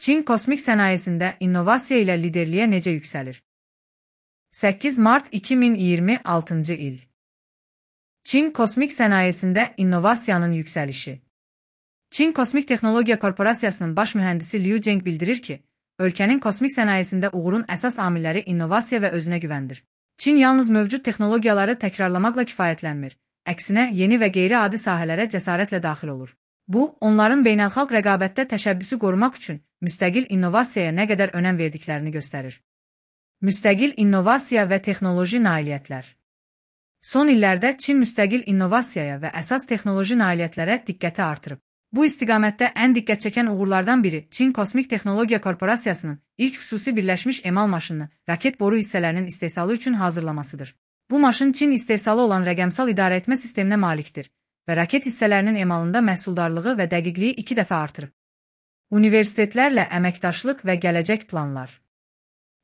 Çin kosmik sənayesində innovasiya ilə liderliyə necə yüksəlir? 8 Mart 2026 il. Çin kosmik sənayesində innovasiyanın yüksəlişi. Çin Kosmik Texnologiya Korporasiyasının baş mühəndisi Liu Zheng bildirir ki, ölkənin kosmik sənayesində uğurun əsas amilləri innovasiya və özünə güvəndir. Çin yalnız mövcud texnologiyaları təkrarlamaqla kifayətlənmir, əksinə yeni və qeyri-adi sahələrə cəsarətlə daxil olur. Bu, onların beynəlxalq rəqabətdə təşəbbüsü qorumaq üçün müstəqil innovasiyaya nə qədər önəm verdiklərini göstərir. Müstəqil innovasiya və texnoloji nailiyyətlər. Son illərdə Çin müstəqil innovasiyaya və əsas texnoloji nailiyyətlərə diqqəti artırıb. Bu istiqamətdə ən diqqət çəkən uğurlardan biri Çin Kosmik Texnologiya Korporasiyasının ilk xüsusi birləşmiş emal maşınını raket boru hissələrinin istehsalı üçün hazırlamasıdır. Bu maşın Çin istehsalı olan rəqəmsal idarəetmə sisteminə malikdir və raket hissələrinin emalında məhsuldarlığı və dəqiqliyi 2 dəfə artırıb. Universitetlərlə əməkdaşlıq və gələcək planlar.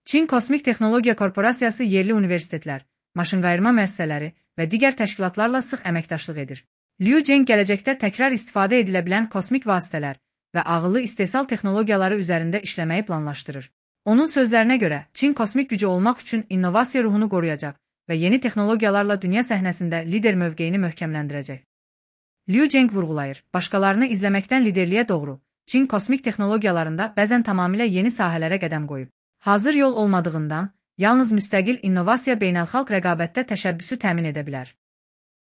Çin Kosmik Texnologiya Korporasiyası yerli universitetlər, maşınqayırma müəssisələri və digər təşkilatlarla sıx əməkdaşlıq edir. Liu Zheng gələcəkdə təkrar istifadə edilə bilən kosmik vasitələr və ağıllı istehsal texnologiyaları üzərində işləməyi planlaşdırır. Onun sözlərinə görə, Çin kosmik gücü olmaq üçün innovasiya ruhunu qoruyacaq və yeni texnologiyalarla dünya səhnəsində lider mövqeyini möhkəmləndirəcək. Liu Zheng vurğulayır, başqalarını izləməkdən liderliyə doğru, Çin kosmik texnologiyalarında bəzən tamamilə yeni sahələrə qədəm qoyub. Hazır yol olmadığından, yalnız müstəqil innovasiya beynəlxalq rəqabətdə təşəbbüsü təmin edə bilər.